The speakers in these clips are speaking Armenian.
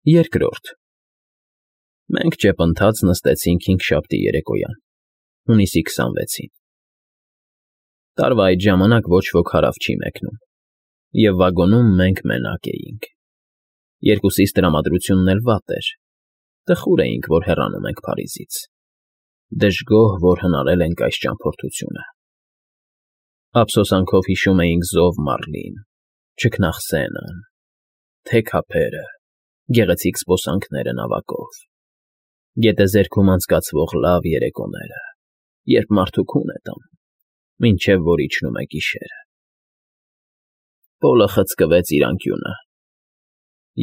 Երկրորդ Մենք ճեպընթաց նստեցինք հինգշաբթի երեկոյան, հունիսի 26-ին. տարվա այդ ժամանակ ոչ ոք հարավ չի մեկնում, և վագոնում մենք մենակ էինք. երկուսիս տրամադրությունն էլ վատ էր, տխուր էինք, որ հեռանում ենք Փարիզից, դժգոհ, որ հնարել ենք այս ճամփորդությունը, ափսոսանքով հիշում էինք զով Մարլին, չքնաղ Սենան, թեք ափերը, գեղեցիկ զբոսանքները նավակով, գետեզերքում անցկացվող լավ երեկոները, երբ մարդու քուն է տանում, մինչև որ իջնում է գիշերը։ Պոլը խցկվեց իր անկյունը,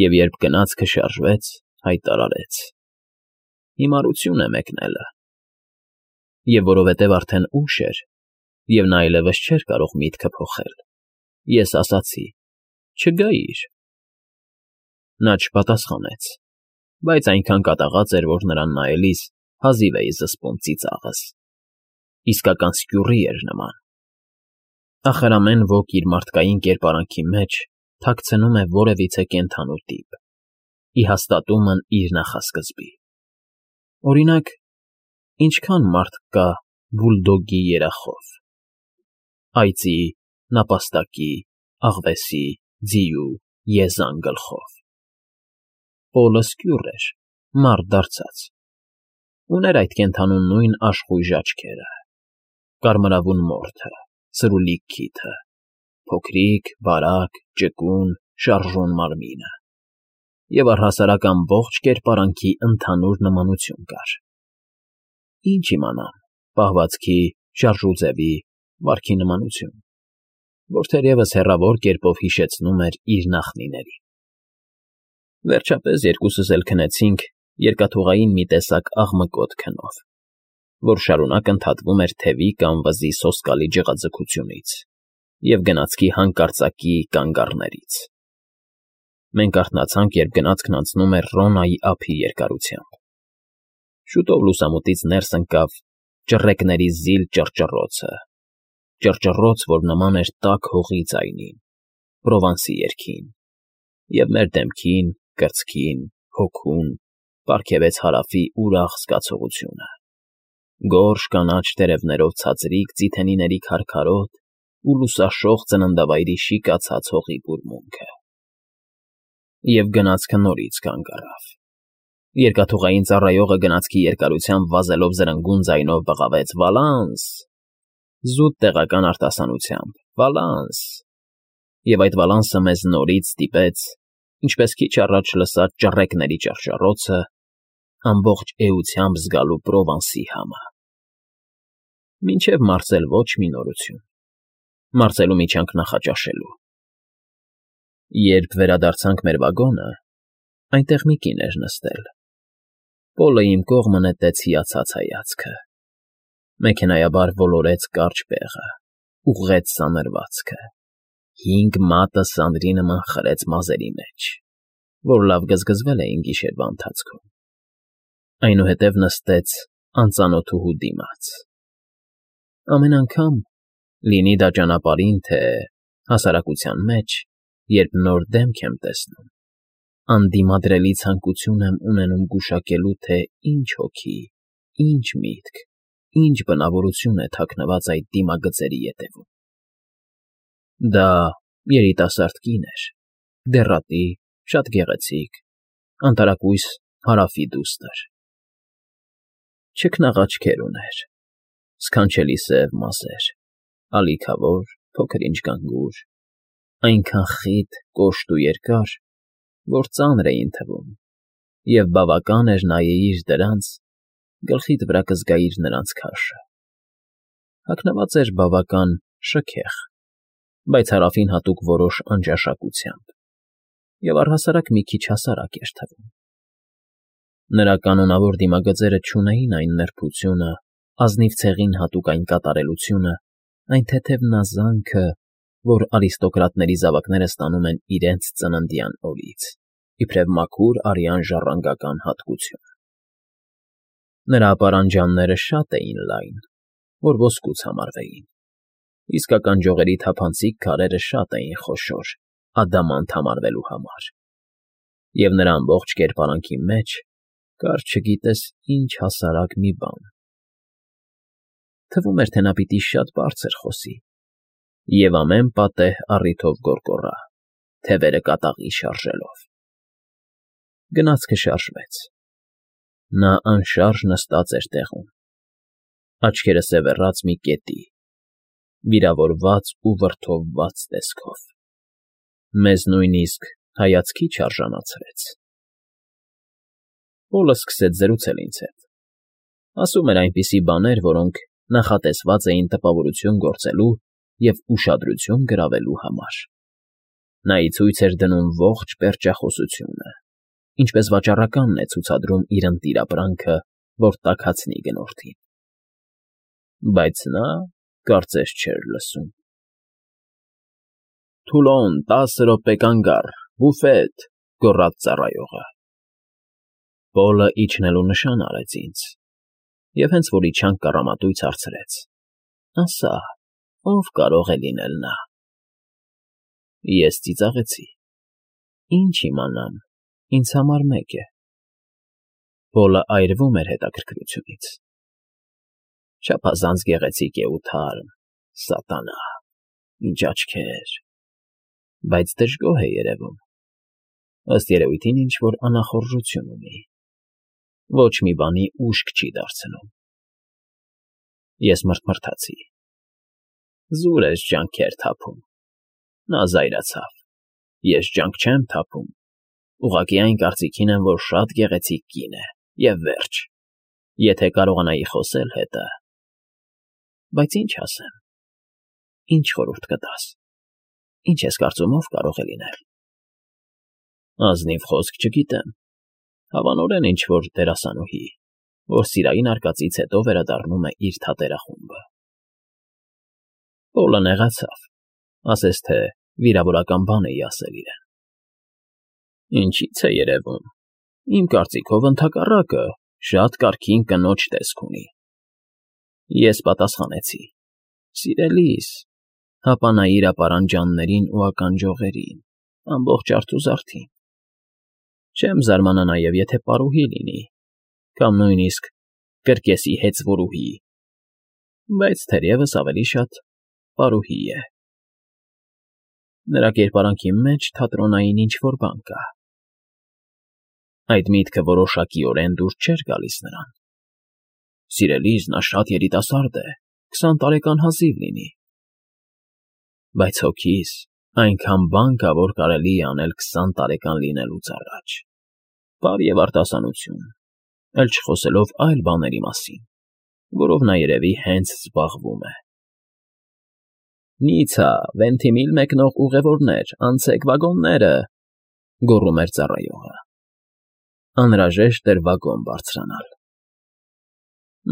և երբ գնացքը շարժվեց, հայտարարեց. հիմարություն է մեկնելը, և որովհետև արդեն ուշ էր, և նա այլևս չէր կարող միտքը փոխել, ես ասացի. չգայիր։ Նա չպատասխանեց, բայց այնքան կատաղած էր, որ նրան նայելիս հազիվ էի զսպում ծիծաղս, իսկական սկյուռի էր նման։ Ախր ամեն ոք իր մարդկային կերպարանքի մեջ թաքցնում է որևիցե կենդանու տիպ, ի հաստատումն իր նախասկզբի։ Օրինակ, ինչքան մարդ կա բուլդոգի երախով, այծի, նապաստակի, աղվեսի, ձիու, եզան գլխով։ Պոլը սկյուռ էր, մարդ դարձած, ուներ այդ կենդանու նույն աշխույժ աչքերը, կարմրավուն մորթը, սրուլիկ քիթը, փոքրիկ, բարակ, ճկուն, շարժուն մարմինը, և առհասարակ ամբողջ կերպարանքի ընդհանուր նմանություն կար։ Ինչ իմանամ, պահվածքի, շարժուձևի, վարքի նմանություն, որ թերևս հեռավոր կերպով հիշեցնում էր իր նախնիներին։ Վերջապես երկուսս էլ քնեցինք երկաթուղային մի տեսակ աղմկոտ քնով, որ շարունակ ընդհատվում էր թևի կամ վզի սոսկալի ջղաձգությունից և գնացքի հանկարծակի կանգառներից։ Մենք արթնացանք, երբ գնացքն անցնում էր Ռոնայի ափի երկարությամբ։ Շուտով լուսամուտից ներս ընկավ ճռռեկների զիլ ճռճռոցը, ճռճռոց, որ նման էր տաք հողի ձայնին, Պրովանսի երգին, և մեր դեմքին, կրծքին, հոգուն պարգևեց Հարավի ուրախ զգացողությունը, գորշ կանաչ տերևներով ցածրիկ ձիթենիների քարքարոտ ու լուսաշող ծննդավայրի շիկացած հողի բուրմունքը։ Եվ գնացքը նորից կանգ առավ։ Երկաթուղային ծառայողը գնացքի երկարությամբ վազելով զրնգուն ձայնով բղավեց. «Վալանս»։ Զուտ տեղական արտասանությամբ՝ «Վալանս»։ Եվ այդ վալանսը մեզ նորից ստիպեց, ինչպես քիչ առաջ լսած ճռռեկների ճռճռոցը, ամբողջ էությամբ զգալու Պրովանսի համը։ Մինչև մարսել ոչ մի նորություն, մարսելու միջանք նախաճաշելու։ Երբ վերադարձանք մեր վագոնը, այնտեղ մի կին էր նստել։ Պոլը իմ կողմը նետեց հիացած հայացքը, մեքենայաբար ոլորեց կարճ բեղը, ուղղեց սանրվածքը, 5 մատը սանդրի նման խրեց մազերի մեջ, որ լավ գզգզվել էին գիշերվա ընթացքում, այնուհետև նստեց անծանոթուհու դիմաց։ Ամեն անգամ, լինի դա ճանապարհին, թե հասարակության մեջ, երբ նոր դեմք եմ տեսնում, անդիմադրելի ցանկություն եմ ունենում գուշակելու, թե ինչ հոգի, ինչ միտք, ինչ բնավորություն է թաքնված այդ դիմագծերի ետևում։ Դա երիտասարդ կին էր, դեռատի, շատ գեղեցիկ, անտարակույս Հարավի դուստր։ Չքնաղ աչքեր ուներ, սքանչելի սև մազեր, ալիքավոր, փոքր-ինչ գանգուր, այնքան խիտ, կոշտ ու երկար, որ ծանր էին թվում, և բավական էր նայեիր դրանց, գլխիդ վրա կզգայիր նրանց քաշը։ Հագնված էր բավական շքեղ, բայց Հարավին հատուկ որոշ անճաշակությամբ, և առհասարակ մի քիչ հասարակ էր թվում։ Նրա կանոնավոր դիմագծերը չունեին այն նրբությունը, ազնիվ ցեղին հատուկ այն կատարելությունը, այն թեթև նազանքը, որ արիստոկրատների զավակները ստանում են իրենց ծննդյան օրից, իբրև մաքուր արյան ժառանգական հատկություն։ Նրա ապարանջանները շատ էին լայն, որ ոսկուց համարվեին, իսկական ջողերի թափանցիկ քարերը շատ էին խոշոր, ադամանտ համարվելու համար։ և նրա ամբողջ կերպարանքի մեջ կար չգիտես ինչ հասարակ մի բան. թվում էր, թե նա պիտի շատ բարձր խոսի և ամեն պատեհ առիթով գոռգոռա, թևերը կատաղի շարժելով։ Գնացքը շարժվեց։ Նա անշարժ նստած էր տեղում, աչքերը սևեռած մի կետի, վիրավորված ու վրդովված տեսքով, մեզ նույնիսկ հայացքի չարժանացրեց։ Պոլը սկսեց զրուցել ինձ հետ, ասում էր այնպիսի բաներ, որոնք նախատեսված էին տպավորություն գործելու և ուշադրություն գրավելու համար։ Նա ի ցույց էր դնում ողջ պերճախոսությունը, ինչպես վաճառականն է ցուցադրում իր ընտիրապրանքը, որ տաքացնի գնորդին։ Բայց նա կարծես չէր լսում։ «Թուլոն, 10 րոպե կանգ առ, բուֆետ», գոռաց ծառայողը։ Պոլը իջնելու նշան արեց ինձ և հենց որ իջանք կառամատույց հարցրեց. «Ասա, ով կարող է լինել նա»։ Ես ծիծաղեցի. «Ինչ իմանամ, ինձ համար մեկ է»։ Պոլը այրվում էր հետաքրքրությունից։ «Չափազանց գեղեցիկ է ու թարմ, սատանա, ինչ աչքեր, բայց դժգոհ է երևում, ըստ երևույթին ինչ֊որ անախորժություն ունի, ոչ մի բանի ուշք չի դարձնում»։ Ես մռթմռթացի. «Զուր ես ջանքեր թափում»։ Նա զայրացավ. «Ես ջանք չեմ թափում, ուղղակի այն կարծիքին եմ, որ շատ գեղեցիկ կին է, և վերջ, եթե կարողանայի խոսել հետը… Բայց ինչ ասեմ, ինչ խորհուրդ կտաս, ինչ ես կարծում, ով կարող է լինել»։ Ազնիվ խոսք չգիտեմ, հավանորեն ինչ֊որ դերասանուհի, որ սիրային արկածից հետո վերադառնում է իր թատերախումբը։ Պոլը նեղացավ, ասես թե վիրավորական բան էի ասել իրեն։ «Ինչից է երևում, իմ կարծիքով ընդհակառակը, շատ կարգին կնոջ տեսք ունի»։ Ես պատասխանեցի. «Սիրելիս, հապա նայիր ապարանջաններին ու ականջողերին, ամբողջ արթուզարդին։ Չեմ զարմանա նաև, եթե պարուհի լինի, կամ նույնիսկ կրկեսի հեծվորուհի, բայց թերևս ավելի շատ պարուհի է։ Նրա կերպարանքի մեջ թատրոնային ինչ֊որ բան կա»։ Այդ միտքը որոշակիորեն դուր չէր գալիս նրան։ «Սիրելիս, նա շատ երիտասարդ է, 20 տարեկան հազիվ լինի»։ Բայց հոգիս այնքան բան կա, որ կարելի է անել 20 տարեկան լինելուց առաջ, պար և արտասանություն, էլ չխոսելով այլ բաների մասին, որով նա երևի հենց զբաղվում է։ «Նիցա, Վենթիմիլ մեկնող ուղևորներ, անցեք վագոնները», գոռում էր ծառայողը։ Անհրաժեշտ էր վագոն բարձրանալ։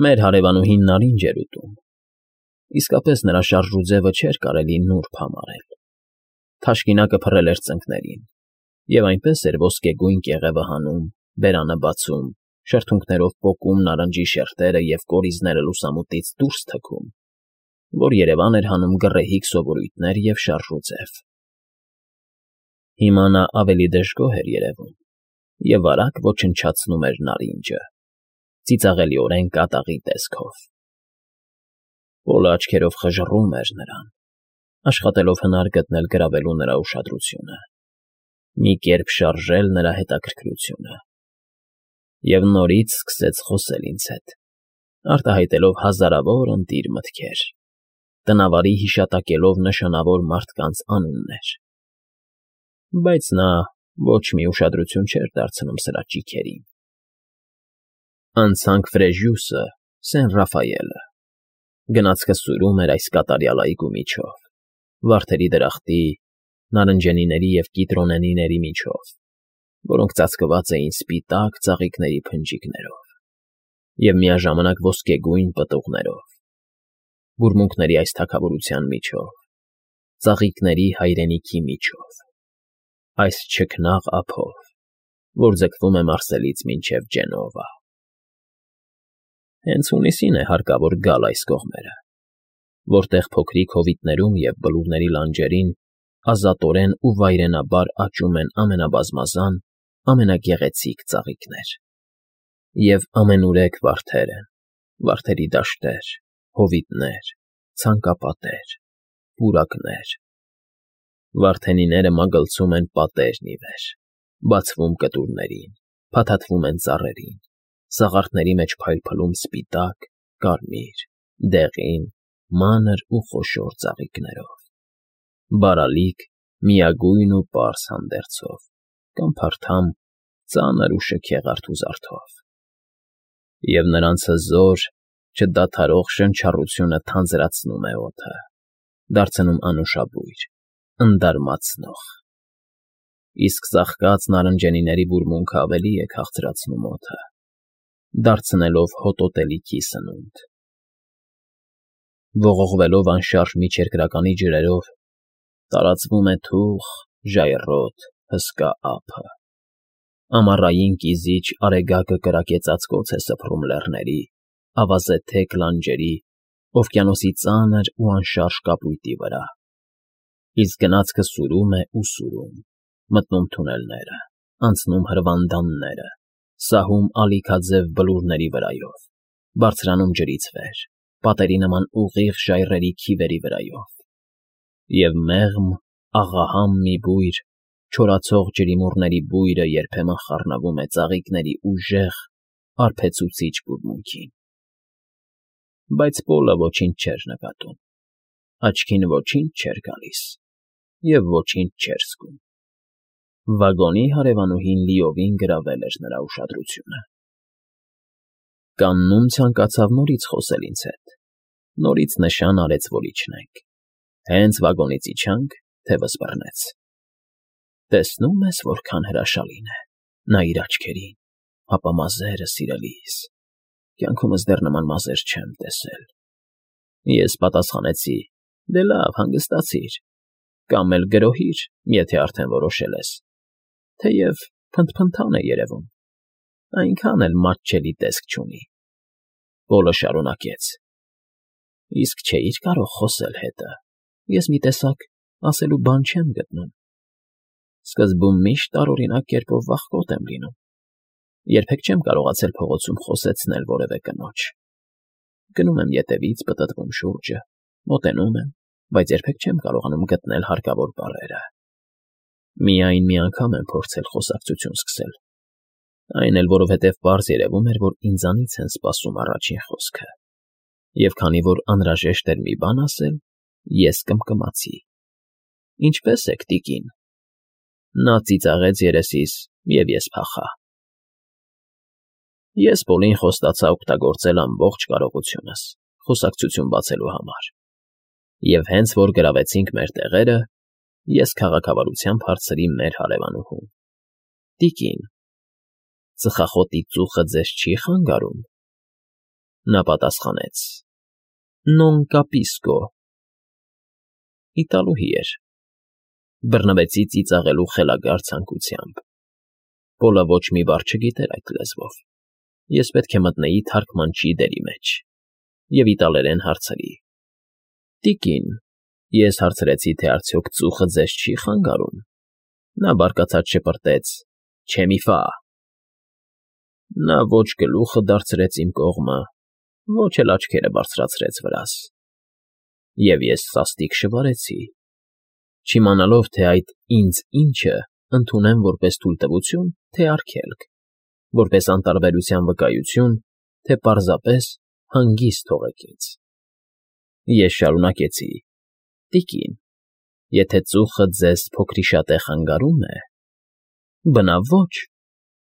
Մեր հարևանուհին նարինջ էր ուտում։ Իսկապես նրա շարժուձևը չէր կարելի նուրբ համարել։ Թաշկինակը փռել էր ծնկներին, և այնպես էր ոսկեգույն կեղևը հանում, բերանը բացում, շրթունքներով պոկում նարնջի շերտերը և կորիզները լուսամուտից դուրս թքում, որ Երևան էր հանում գռեհիկ սովորույթներ և շարժուձև։ Հիմա նա ավելի դժգոհ էր երևում և արագ ոչնչացնում էր նարինջը, ծիծաղելիորեն կատաղի տեսքով։ Պոլը աչքերով խժռում էր նրան, աշխատելով հնար գտնել գրավելու նրա ուշադրությունը, մի կերպ շարժել նրա հետաքրքրությունը։ Եվ նորից սկսեց խոսել ինձ հետ, արտահայտելով հազարավոր ընտիր մտքեր, տնավարի հիշատակելով նշանավոր մարդկանց անուններ։ Բայց նա ոչ մի ուշադրություն չէր դարձնում սրա ճիգերին։ Անցանք Ֆրեժիուսը, Սեն Ռաֆայելը։ Գնացքը սուրում էր այս կատարյալ այգու միջով, վարդերի դրախտի, նարնջենիների և կիտրոնենիների միջով, որոնք ծածկված էին սպիտակ ծաղիկների փնջիկներով և միաժամանակ ոսկեգույն պտուղներով, բուրմունքների այս թագավորության միջով, ծաղիկների հայրենիքի միջով, այս չքնաղ ափով, որ ձգվում է Մարսելից մինչև Ջենովա։ Հենց հունիսին է հարկավոր գալ այս կողմերը, որտեղ փոքրիկ հովիտներում և բլուրների լանջերին ազատորեն ու վայրենաբար աճում են ամենաբազմազան, ամենագեղեցիկ ծաղիկներ։ Եվ ամենուրեք վարդեր են, վարդերի դաշտեր, հովիտներ, ցանկապատեր, պուրակներ։ Վարդենիները մագլցում են պատերն ի վեր, բացվում կտուրներին, փաթաթվում են ծառերին, սաղարթների մեջ փայլփլում սպիտակ, կարմիր, դեղին, մանր ու խոշոր ծաղիկներով, բարալիկ, միագույն ու պարզ հանդերձով, կամ փարթամ, ծանր ու շքեղ արթուզարդով։ Եվ նրանց հզոր, չդադարող շնչառությունը թանձրացնում է օդը, դարձնում անուշաբույր, ընդարմացնող։ Իսկ ծաղկած նարնջենիների բուրմունքը ավելի է քաղցրացնում օդը, դարձնելով հոտոտելիքի սնունդ։ Ողողվելով անշարժ միջերկրականի ջրերով, տարածվում է թուխ, ժայռոտ, հսկա ափը։ Ամառային կիզիչ արեգակը կրակեցածկոց է սփռում լեռների, ավազե թեք լանջերի, օվկիանոսի ծանր ու անշարժ կապույտի վրա։ Իսկ գնացքը սուրում է ու սուրում, մտնում թունելները, անցնում հրվանդանները, սահում ալիքաձև բլուրների վրայով, բարձրանում ջրից վեր, պատերի նման ուղիղ ժայռերի քիվերի վրայով։ Եվ մեղմ, աղահամ մի բույր, չորացող ջրիմուռների բույրը երբեմն խառնվում է ծաղիկների ուժեղ, արբեցուցիչ բուրմունքին։ Բայց Պոլը ոչինչ չէր նկատում, աչքին ոչինչ չէր գալիս և ոչինչ չէր զգում։ Վագոնի հարևանուհին լիովին գրավել էր նրա ուշադրությունը։ Կաննում ցանկացավ նորից խոսել ինձ հետ, նորից նշան արեց, որ իջնենք։ Հենց վագոնից իջանք, թևս բռնեց։ Տեսնում ես, որքան հրաշալին է, նա իր աչքերին, հապա մազերը, սիրելիս, կյանքումս դեռ նման մազեր չեմ տեսել։ Ես պատասխանեցի. դե լավ, հանգստացիր, կամ էլ գրոհիր, եթե արդեն որոշել ես, թեև փնթփնթան է երևում, այնքան էլ մատչելի տեսք չունի։ Պոլը շարունակեց. իսկ չէիր կարող խոսել հետը, ես մի տեսակ ասելու բան չեմ գտնում։ Սկզբում միշտ տարօրինակ կերպով վախկոտ եմ լինում, երբեք չեմ կարողացել փողոցում խոսեցնել որևէ կնոջ։ Գնում եմ ետևից, պտտվում շուրջը, մոտենում եմ, բայց երբեք չեմ կարողանում գտնել հարկավոր բառերը։ Միայն մի անգամ եմ փորձել խոսակցություն սկսել, այն էլ որովհետև պարզ երևում էր, որ ինձանից են սպասում առաջին խոսքը, և քանի որ անհրաժեշտ էր մի բան ասել, ես կմկմացի. ինչպե՞ս եք, տիկին։ Նա ծիծաղեց երեսիս, և ես փախա։ Ես Պոլին խոստացա օգտագործել ամբողջ կարողությունս խոսակցություն բացելու համար, և հենց որ գրավեցինք մեր տեղերը, ես քաղաքավարությամբ հարցրի մեր հարևանուհուն. տիկին, ծխախոտի ծուխը ձեզ չի խանգարում։ Նա պատասխանեց. non capisco։ Իտալուհի էր։ Բռնվեցի ծիծաղելու խելագար ցանկությամբ։ Պոլը ոչ մի բառ չգիտեր այդ լեզվով։ Ես պետք է մտնեի թարգմանչի դերի մեջ և իտալերեն հարցրի. տիկին, ես հարցրեցի, թե արդյոք ծուխը ձեզ չի խանգարում։ Նա բարկացած շպրտեց. Չէ մի ֆա։ Նա ոչ գլուխը դարձրեց իմ կողմը, ոչ էլ աչքերը բարձրացրեց վրաս։ Եվ ես սաստիկ շվարեցի, չիմանալով, թե այդ ինձ ինչը ընդունեմ որպես թույլտվություն, թե արգելք, որպես անտարբերության վկայություն, թե պարզապես հանգիստ թողեք ինձ։ Ես շարունակեցի. տիկին, եթե ծուխը ձեզ փոքրիշատե խանգարում է, բնավ ոչ,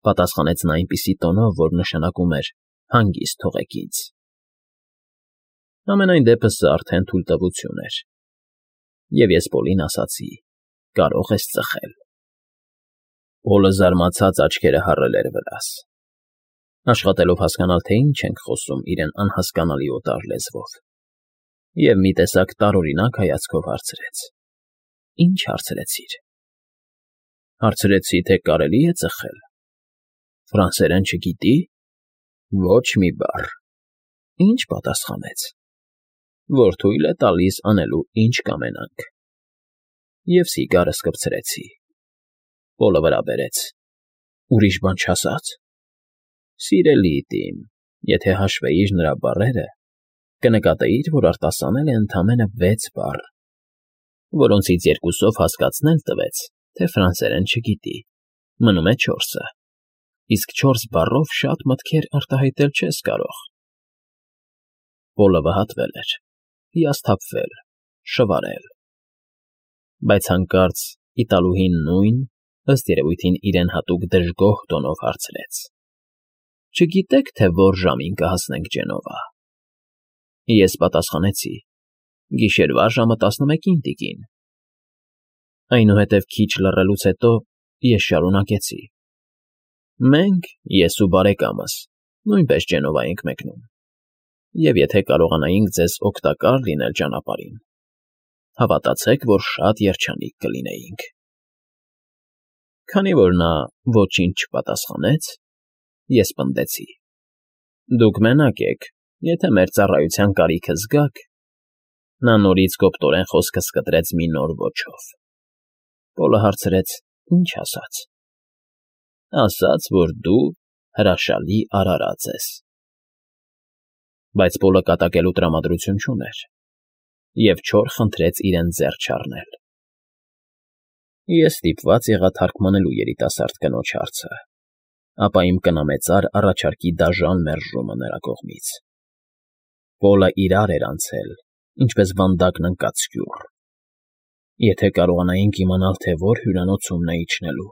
պատասխանեց նա այնպիսի տոնով, որ նշանակում էր հանգիստ թողեք ինձ։ Համենայն դեպս սա արդեն թույլտվություն էր, և ես Պոլին ասացի. կարող ես ծխել։ Պոլը զարմացած աչքերը հառել էր վրաս, աշխատելով հասկանալ, թե ինչ ենք խոսում իրեն անհասկանալի օտար լեզվով, և մի տեսակ տարօրինակ հայացքով հարցրեց. Ինչ հարցրեցիր։ Հարցրեցի, թե կարելի է ծխել։ Ֆրանսերեն չգիտի։ Ոչ մի բառ։ Ինչ պատասխանեց։ Որ թույլ է տալիս անելու, ինչ կամենանք։ Եվ սիգարս կպցրեցի։ Պոլը վրա բերեց։ Ուրիշ բան չասա՞ց։ Սիրելի Տիմ, եթե հաշվեիր նրա բառերը, կնկատեիր, որ արտասանել է ընդամենը 6 բառ, որոնցից 2-ով հասկացնել տվեց, թե ֆրանսերեն չգիտի, մնում է 4-ը, իսկ 4 բառով շատ մտքեր արտահայտել չես կարող։ Պոլը վհատվել էր, հիասթափվել, շվարել, բայց հանկարծ Իտալուհին նույն, ըստ երևույթին իրեն հատուկ դժգոհ տոնով հարցրեց. Չգիտե՞ք, թե որ ժամին կհասնենք Ջենովա։ Ես պատասխանեցի. Գիշերվա ժամը 11-ին, տիկին։ Այնուհետև քիչ լռելուց հետո ես շարունակեցի. Մենք, ես ու բարեկամս, նույնպես Ջենովա ենք մեկնում, և եթե կարողանայինք ձեզ օգտակար լինել ճանապարհին, հավատացեք, որ շատ երջանիկ կլինեինք։ Քանի որ նա ոչինչ չպատասխանեց, ես պնդեցի. Դուք մենակ եք, եթե մեր ծառայության կարիքը զգաք, նա նորից կոպտորեն խոսքը սկտրեց մի նոր ոճով։ Պոլը հարցրեց. Ինչ ասաց։ Ասաց, որ դու հրաշալի արարած ես։ Բայց Պոլը կատակելու տրամադրություն չուներ, և չոր խնդրեց իրեն ձեռ չառնել։ Ես ստիպված եղա թարգմանելու երիտասարդ կնոջ հարցը, ապա իմ կնամեծար առաջարկի դաժան մերժումը նրա կողմից։ Պոլը իրար էր անցել, ինչպես վանդակն ընկած սկյուռ։ Եթե կարողանայինք իմանալ, թե որ հյուրանոցումն է իջնելու,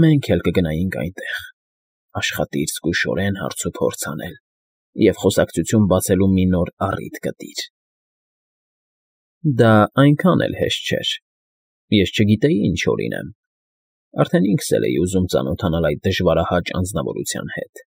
մենք էլ կգնայինք այնտեղ, աշխատիր զգուշորեն հարցուփորձ անել և խոսակցություն բացելու մի նոր առիթ գտիր։ Դա այնքան էլ հեշտ չէր։ Ես չգիտեի ինչ օրինեմ, արդեն ինքս էլ էի ուզում ծանոթանալ այդ դժվարահաճ անձնավորության հետ։